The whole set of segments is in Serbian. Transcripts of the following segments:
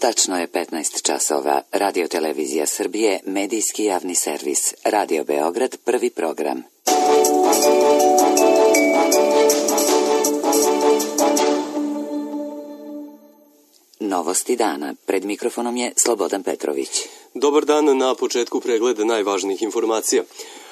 Tačno je 15 časova. Radio Televizija Srbije, medijski javni servis. Radio Beograd, prvi program. Novosti dana. Pred mikrofonom je Slobodan Petrović. Dobar dan, na početku pregleda najvažnijih informacija.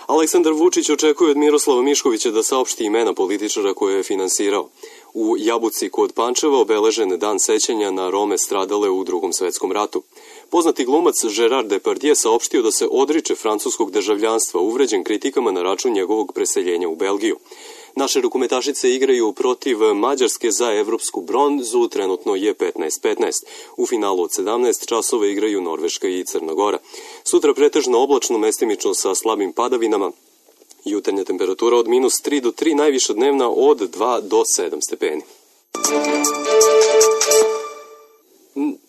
Aleksandar Vučić očekuje od Miroslava Miškovića da saopšti imena političara koje je finansirao. U Jabuci kod Pančeva obeležen dan sećanja na Rome stradale u Drugom svetskom ratu. Poznati glumac Gerard Depardieu saopštio da se odriče francuskog državljanstva, uvređen kritikama na račun njegovog preseljenja u Belgiju. Naše rukometašice igraju protiv Mađarske za evropsku bronzu, trenutno je 15-15. U finalu od 17 časova igraju Norveška i Crna Gora. Sutra pretežno oblačno, mestimično sa slabim padavinama. Jutarnja temperatura od -3 do 3, najviša dnevna od 2 do 7 stepeni.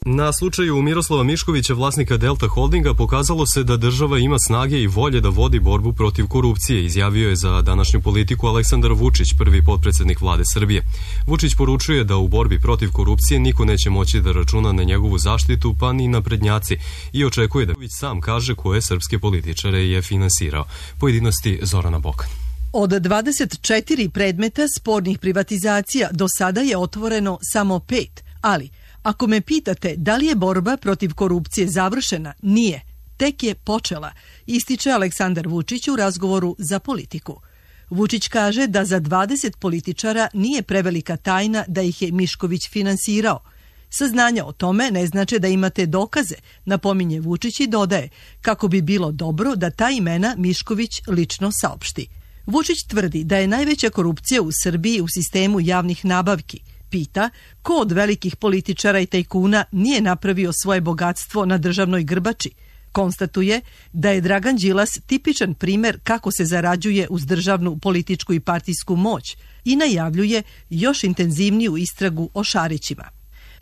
Na slučaju Miroslava Miškovića, vlasnika Delta Holdinga, pokazalo se da država ima snage i volje da vodi borbu protiv korupcije, izjavio je za današnju Politiku Aleksandar Vučić, prvi potpredsednik vlade Srbije. Vučić poručuje da u borbi protiv korupcije niko neće moći da računa na njegovu zaštitu, pa ni naprednjaci, i očekuje da Vučić sam kaže koje srpske političare je finansirao. Pojedinosti Zorana Bokan. Od 24 predmeta spornih privatizacija do sada je otvoreno samo 5, ali ako me pitate da li je borba protiv korupcije završena, nije. Tek je počela, ističe Aleksandar Vučić u razgovoru za Politiku. Vučić kaže da za 20 političara nije prevelika tajna da ih je Mišković finansirao. Saznanja o tome ne znače da imate dokaze, napominje Vučić i dodaje kako bi bilo dobro da ta imena Mišković lično saopšti. Vučić tvrdi da je najveća korupcija u Srbiji u sistemu javnih nabavki. Pita ko od velikih političara i tajkuna nije napravio svoje bogatstvo na državnoj grbači. Konstatuje da je Dragan Đilas tipičan primer kako se zarađuje uz državnu političku i partijsku moć i najavljuje još intenzivniju istragu o Šarićima.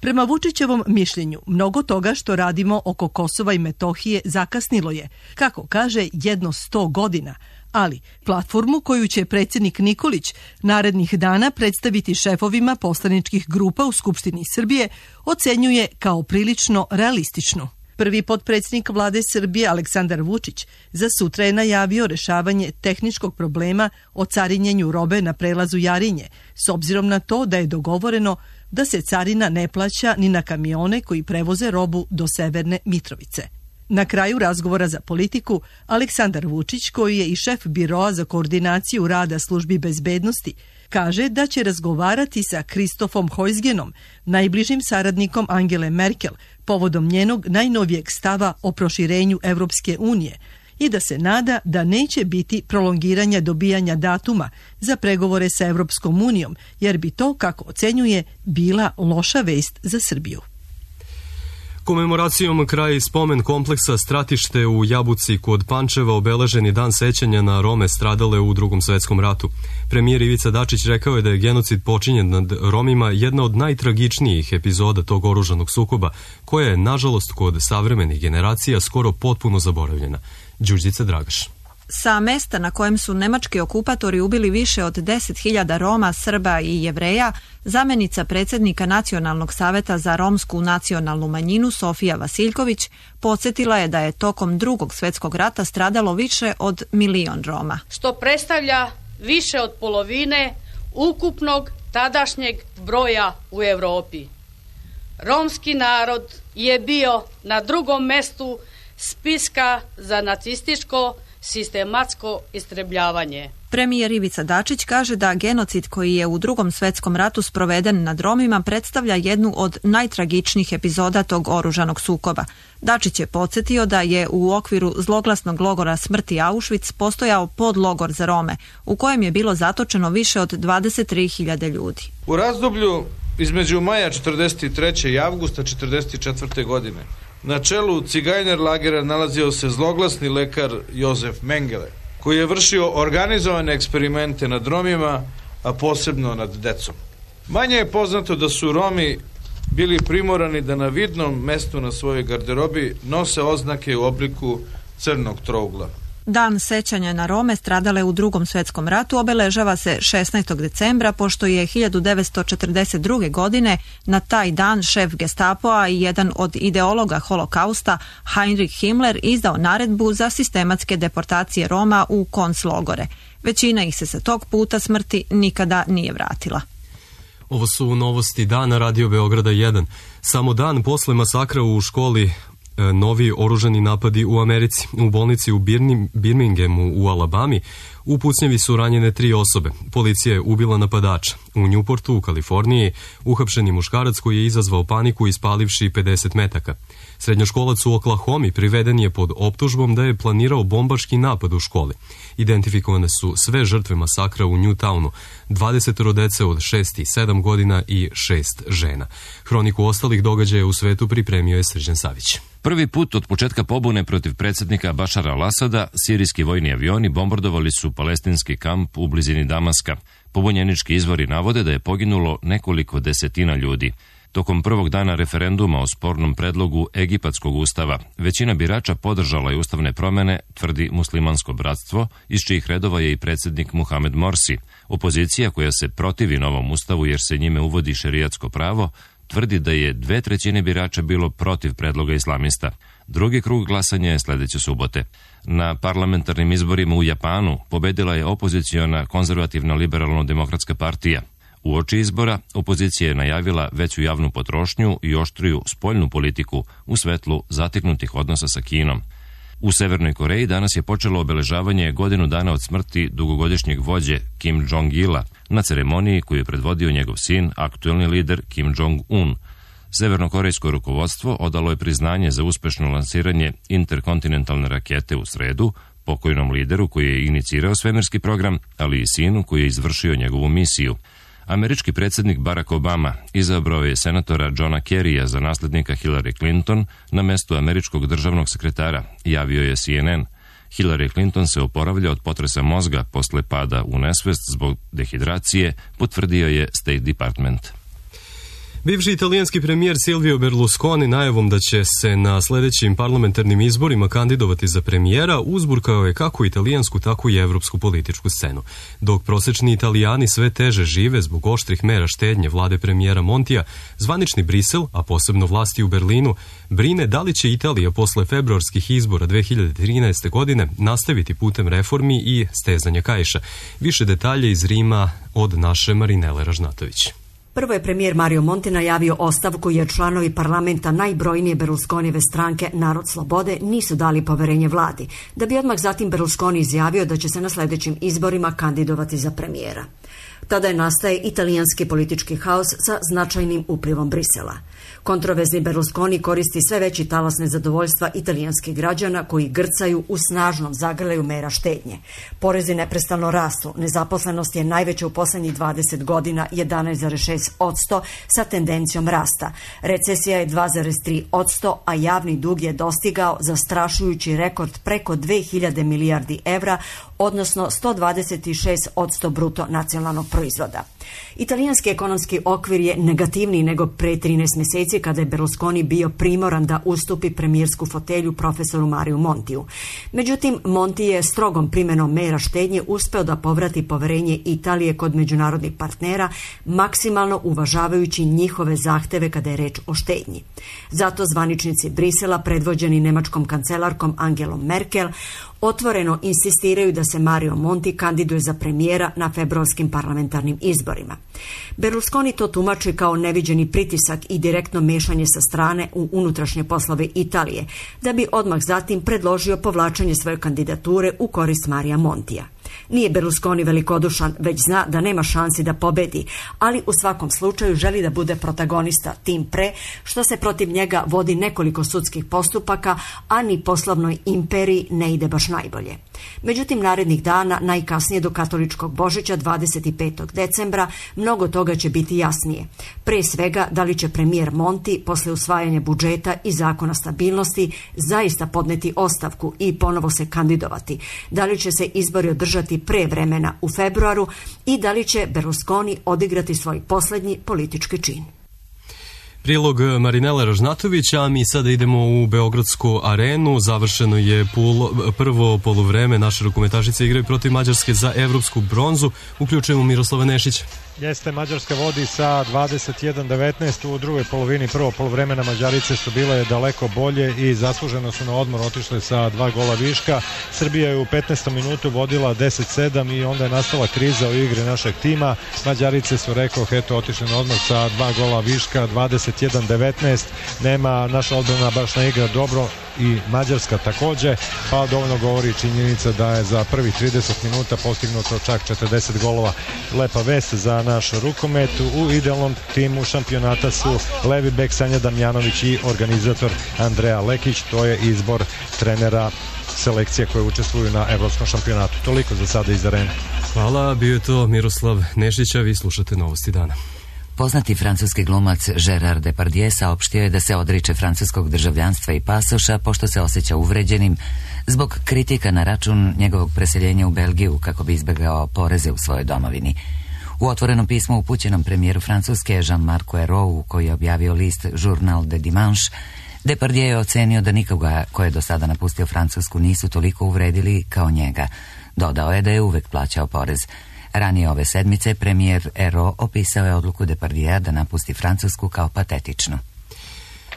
Prema Vučićevom mišljenju, mnogo toga što radimo oko Kosova i Metohije zakasnilo je, kako kaže, jedno 100 godina, ali platformu koju će predsjednik Nikolić narednih dana predstaviti šefovima poslaničkih grupa u Skupštini Srbije ocenjuje kao prilično realističnu. Prvi potpredsjednik vlade Srbije Aleksandar Vučić za sutra je najavio rešavanje tehničkog problema o carinjenju robe na prelazu Jarinje, s obzirom na to da je dogovoreno da se carina ne plaća ni na kamione koji prevoze robu do Severne Mitrovice. Na kraju razgovora za Politiku, Aleksandar Vučić, koji je i šef biroa za koordinaciju rada službi bezbednosti, kaže da će razgovarati sa Kristofom Hojsgenom, najbližim saradnikom Angele Merkel, povodom njenog najnovijeg stava o proširenju Evropske unije i da se nada da neće biti prolongiranja dobijanja datuma za pregovore sa Evropskom unijom, jer bi to, kako ocenjuje, bila loša vest za Srbiju. Komemoracijom kraj spomen kompleksa Stratište u Jabuci kod Pančeva obeležen je dan sećanja na Rome stradale u Drugom svetskom ratu. Premijer Ivica Dačić rekao je da je genocid počinjen nad Romima jedna od najtragičnijih epizoda tog oružanog sukoba, koja je, nažalost, kod savremenih generacija skoro potpuno zaboravljena. Đurđica Dragaš. Sa mesta na kojem su nemački okupatori ubili više od 10.000 Roma, Srba i Jevreja, zamenica predsjednika Nacionalnog saveta za romsku nacionalnu manjinu Sofija Vasiljković podsjetila je da je tokom Drugog svjetskog rata stradalo više od 1 milion Roma. Što predstavlja više od polovine ukupnog tadašnjeg broja u Europi. Romski narod je bio na drugom mestu spiska za nacističko sistematsko istrebljavanje. Premijer Ivica Dačić kaže da genocid koji je u Drugom svjetskom ratu sproveden nad Romima predstavlja jednu od najtragičnijih epizoda tog oružanog sukoba. Dačić je podsjetio da je u okviru zloglasnog logora smrti Auschwitz postojao podlogor za Rome, u kojem je bilo zatočeno više od 23.000 ljudi. U razdoblju između maja 1943. i avgusta 1944. godine na čelu cigajner lagera nalazio se zloglasni lekar Josef Mengele, koji je vršio organizovane eksperimente nad Romima, a posebno nad decom. Manje je poznato da su Romi bili primorani da na vidnom mestu na svojoj garderobi nose oznake u obliku crnog trougla. Dan sećanja na Rome stradale u Drugom svjetskom ratu obeležava se 16. decembra, pošto je 1942. godine na taj dan šef Gestapoa i jedan od ideologa holokausta Heinrich Himmler izdao naredbu za sistematske deportacije Roma u konclogore. Većina ih se sa tog puta smrti nikada nije vratila. Ovo su novosti dana Radio Beograda 1. Samo dan posle masakra u školi novi oružani napadi u Americi. U bolnici u Birminghamu u Alabami u pucnjevi su ranjene 3 osobe. Policija je ubila napadača. U Newportu u Kaliforniji uhapšeni muškarac koji je izazvao paniku ispalivši 50 metaka. Srednjoškolac u Oklahomi priveden je pod optužbom da je planirao bombaški napad u školi. Identifikovane su sve žrtve masakra u Newtownu, 20 dece od 6 i 7 godina i 6 žena. Hroniku ostalih događaja u svetu pripremio je Srđan Savić. Prvi put od početka pobune protiv predsjednika Bašara al-Asada, sirijski vojni avioni bombardovali su palestinski kamp u blizini Damaska. Pobunjenički izvori navode da je poginulo nekoliko desetina ljudi. Tokom prvog dana referenduma o spornom predlogu Egipatskog ustava, većina birača podržala je ustavne promjene, tvrdi Muslimansko bratstvo, iz čijih redova je i predsjednik Muhamed Morsi. Opozicija, koja se protivi novom ustavu jer se njime uvodi šerijatsko pravo, tvrdi da je 2/3 birača bilo protiv predloga islamista. Drugi krug glasanja je sljedeće subote. Na parlamentarnim izborima u Japanu pobedila je opoziciona konzervativna liberalno-demokratska partija. Uoči izbora, opozicija je najavila veću javnu potrošnju i oštriju spoljnu politiku u svetlu zateknutih odnosa sa Kinom. U Severnoj Koreji danas je počelo obeležavanje godinu dana od smrti dugogodišnjeg vođe Kim Jong-ila na ceremoniji koju je predvodio njegov sin, aktuelni lider Kim Jong-un. Severnokorejsko rukovodstvo odalo je priznanje za uspešno lansiranje interkontinentalne rakete u sredu, pokojnom lideru koji je inicirao svemirski program, ali i sinu koji je izvršio njegovu misiju. Američki predsjednik Barack Obama izabrao je senatora Johna Kerrya za naslednika Hillary Clinton na mestu američkog državnog sekretara, javio je CNN. Hillary Clinton se oporavlja od potresa mozga posle pada u nesvest zbog dehidracije, potvrdio je State Department. Bivši italijanski premijer Silvio Berlusconi najavom da će se na sljedećim parlamentarnim izborima kandidovati za premijera uzburkao je kako italijansku, tako i evropsku političku scenu. Dok prosečni Italijani sve teže žive zbog oštrih mera štednje vlade premijera Montija, zvanični Brisel, a posebno vlasti u Berlinu, brine da li će Italija posle februarskih izbora 2013. godine nastaviti putem reformi i stezanja kaiša. Više detalje iz Rima od naše Marinele Ražnatović. Prvo je premijer Mario Monti najavio ostavku jer članovi parlamenta najbrojnije Berlusconijeve stranke Narod slobode nisu dali poverenje vladi, da bi odmah zatim Berlusconi izjavio da će se na sljedećim izborima kandidovati za premijera. Tada je nastaje italijanski politički haos sa značajnim uplivom Brisela. Kontroverzni Berlusconi koristi sve veći talas nezadovoljstva italijanskih građana koji grcaju u snažnom zagrljaju mera štednje. Porezi neprestano rastu, nezaposlenost je najveća u posljednjih 20 godina 11,6% sa tendencijom rasta. Recesija je 2,3%, a javni dug je dostigao zastrašujući rekord preko 2000 milijardi evra, odnosno 126% bruto nacionalnog proizvoda. Italijanski ekonomski okvir je negativniji nego pre 13 mjeseci kada je Berlusconi bio primoran da ustupi premijersku fotelju profesoru Mariju Montiju. Međutim, Monti je strogom primjenom mera štednje uspeo da povrati poverenje Italije kod međunarodnih partnera, maksimalno uvažavajući njihove zahteve kada je reč o štednji. Zato zvaničnici Brisela, predvođeni nemačkom kancelarkom Angelom Merkel, otvoreno insistiraju da se Mario Monti kandiduje za premijera na februarskim parlamentarnim izborima. Berlusconi to tumači kao neviđeni pritisak i direktno mešanje sa strane u unutrašnje poslove Italije, da bi odmah zatim predložio povlačenje svoje kandidature u korist Marija Montija. Nije Berlusconi velikodušan, već zna da nema šansi da pobedi, ali u svakom slučaju želi da bude protagonista, tim pre što se protiv njega vodi nekoliko sudskih postupaka, a ni poslovnoj imperiji ne ide baš najbolje. Međutim, narednih dana, najkasnije do katoličkog Božića 25. decembra, mnogo toga će biti jasnije. Pre svega, da li će premijer Monti posle usvajanja budžeta i zakona stabilnosti zaista podneti ostavku i ponovo se kandidovati, da li će se izbori održati pre vremena u februaru i da li će Berlusconi odigrati svoj posljednji politički čin. Prilog Marinela Ražnatovića, a mi sada idemo u Beogradsku arenu. Završeno je prvo poluvreme. Naše rukometašice igraju protiv Mađarske za evropsku bronzu. Uključujemo Miroslava Nešića. Jeste, Mađarska vodi sa 21-19 u drugoj polovini. Prvo poluvremena Mađarice su bile daleko bolje i zasluženo su na odmor otišle sa 2 gola viška. Srbija je u 15. minutu vodila 10-7 i onda je nastala kriza u igri našeg tima. Mađarice su, rekoh, otišle na odmor sa 2 gola viška, 21-19. Nema naša odbrana baš ne igra dobro i Mađarska takođe, pa dovoljno govori činjenica da je za prvih 30 minuta postignuto čak 40 golova. Lepa vest za naš rukomet. U idealnom timu šampionata su levi bek Sanja Damjanović i organizator Andreja Lekić. To je izbor trenera selekcije koje učestvuju na evropskom šampionatu. Toliko za sada iz arene. Hvala, bio je to Miroslav Nešić, a vi slušate Novosti dana. Poznati francuski glumac Gérard Depardieu saopštio je da se odriče francuskog državljanstva i pasoša pošto se osjeća uvređenim zbog kritika na račun njegovog preseljenja u Belgiju kako bi izbjegao poreze u svojoj domovini. U otvorenom pismu upućenom premijeru Francuske Jean-Marc Ayrault, koji je objavio list Journal de Dimanche, Depardieu je ocenio da nikoga ko je do sada napustio Francusku nisu toliko uvredili kao njega. Dodao je da je uvek plaćao porez. Ranije ove sedmice premijer Ayrault opisao je odluku Depardieu da napusti Francusku kao patetičnu.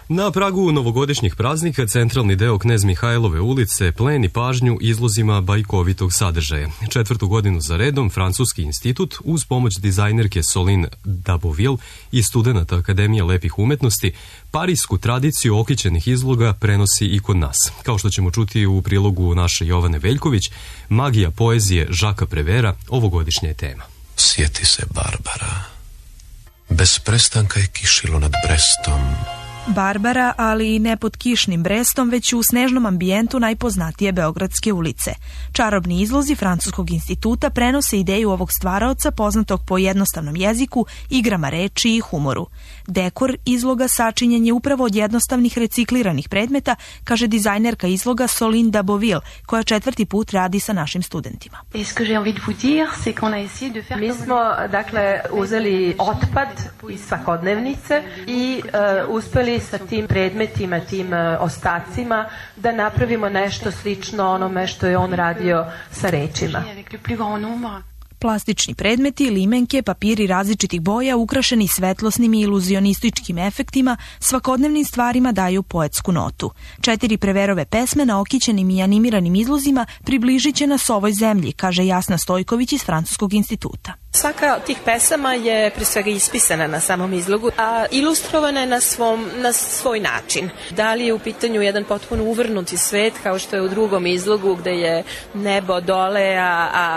Na pragu novogodišnjih praznika centralni deo Knez Mihajlove ulice pleni pažnju izlozima bajkovitog sadržaja. 4. godinu za redom Francuski institut uz pomoć dizajnerke Soline Daboville i studenata Akademije lepih umetnosti parijsku tradiciju okićenih izloga prenosi i kod nas. Kao što ćemo čuti u prilogu naše Jovane Veljković, magija poezije Žaka Prevera ovogodišnja je tema. Sjeti se Barbara. Bez prestanka je kišilo nad Brestom. Barbara, ali i ne pod kišnim Brestom, već u snežnom ambijentu najpoznatije beogradske ulice. Čarobni izlozi Francuskog instituta prenose ideju ovog stvaraoca poznatog po jednostavnom jeziku, igrama reči i humoru. Dekor izloga sačinjen je upravo od jednostavnih recikliranih predmeta, kaže dizajnerka izloga Soline Daboville, koja 4. put radi sa našim studentima. Mi smo, dakle, uzeli otpad iz svakodnevnice i uspeli sa tim predmetima, tim ostacima da napravimo nešto slično onome što je on radio sa rečima. Plastični predmeti, limenke, papiri različitih boja ukrašeni svetlosnim i iluzionističkim efektima svakodnevnim stvarima daju poetsku notu. 4 Preverove pesme na okićenim i animiranim izlozima približit će nas ovoj zemlji, kaže Jasna Stojković iz Francuskog instituta. Svaka od tih pesama je pre svega ispisana na samom izlogu, a ilustrovana je na svoj način. Da li je u pitanju jedan potpuno uvrnuti svet, kao što je u drugom izlogu gde je nebo dole,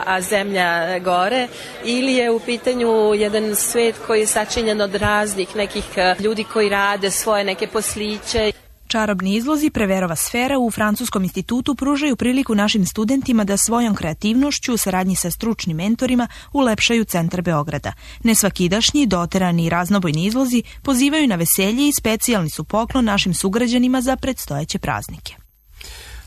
a zemlja gore, ili je u pitanju jedan svet koji je sačinjen od raznih nekih ljudi koji rade svoje neke posliće. Čarobni izlozi Preverova sfera u Francuskom institutu pružaju priliku našim studentima da svojom kreativnošću u saradnji sa stručnim mentorima ulepšaju centar Beograda. Nesvakidašnji, doterani i raznobojni izlozi pozivaju na veselje i specijalni su poklon našim sugrađanima za predstojeće praznike.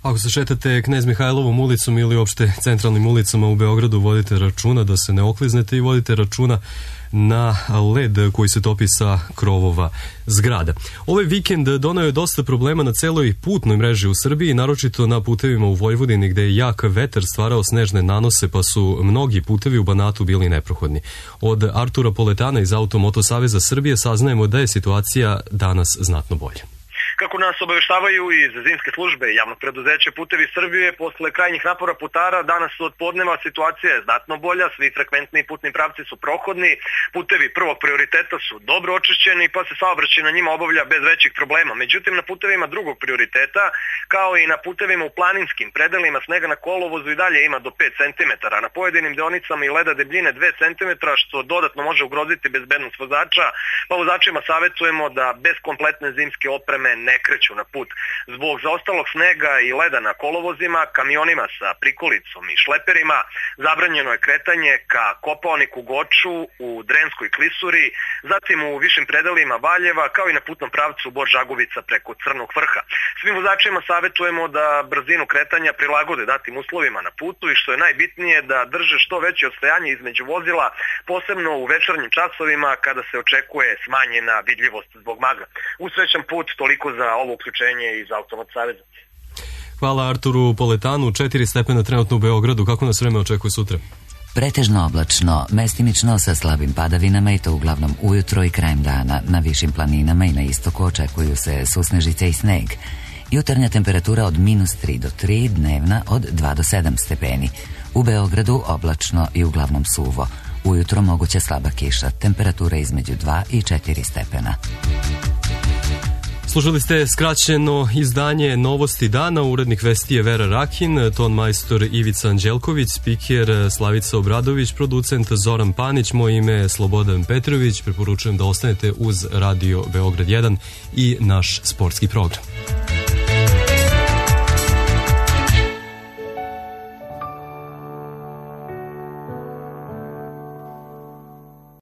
Ako se šetate Knez Mihajlovom ulicom ili uopšte centralnim ulicama u Beogradu, vodite računa da se ne okliznete i vodite računa na led koji se topi sa krovova zgrada. Ovaj vikend doneo je dosta problema na celoj putnoj mreži u Srbiji, naročito na putevima u Vojvodini gde je jak vetar stvarao snežne nanose pa su mnogi putevi u Banatu bili neprohodni. Od Artura Poletana iz Automoto Saveza Srbije saznajemo da je situacija danas znatno bolja. Kako nas obaveštavaju iz zimske službe javnog preduzeća Putevi Srbije, posle krajnjih napora putara, danas od podneva situacija je znatno bolja, svi frekventni putni pravci su prohodni, putevi prvog prioriteta su dobro očišćeni pa se saobraćaj na njima obavlja bez većih problema. Međutim, na putevima drugog prioriteta, kao i na putevima u planinskim predelima, snega na kolovozu i dalje ima do 5 cm, na pojedinim deonicama i leda debljine 2 cm, što dodatno može ugroziti bezbednost vozača, pa vozačima savjetujemo da bez kompletne zimske opreme ne kreću na put. Zbog zaostalog snega i leda na kolovozima, kamionima sa prikolicom i šleperima zabranjeno je kretanje ka Kopaoniku, Goču, u Drenskoj klisuri, zatim u višim predelima Valjeva, kao i na putnom pravcu Bor-Žaguvica preko Crnog vrha. Svim vozačima savjetujemo da brzinu kretanja prilagode datim uslovima na putu i što je najbitnije da drže što veće odstojanje između vozila, posebno u večernjim časovima kada se očekuje smanjena vidljivost zbog magla. Usrećan put, toliko za ovo uključenje iz Automoto saveza. Hvala Arturu Poletanu. 4 stepena trenutno u Beogradu. Kako nas vreme očekuje sutra? Pretežno oblačno, mestimično sa slabim padavinama i to uglavnom ujutro i krajem dana. Na višim planinama i na istoku očekuju se susnežice i sneg. Jutarnja temperatura od -3 do 3, dnevna od 2 do 7 stepeni. U Beogradu oblačno i uglavnom suvo. Ujutro moguća slaba kiša, temperatura između 2 i 4 stepena. Slušali ste skraćeno izdanje Novosti dana, urednik vesti je Vera Rakin, ton majstor Ivica Anđelković, spiker Slavica Obradović, producent Zoran Panić, moje ime je Slobodan Petrović, preporučujem da ostanete uz Radio Beograd 1 i naš sportski program.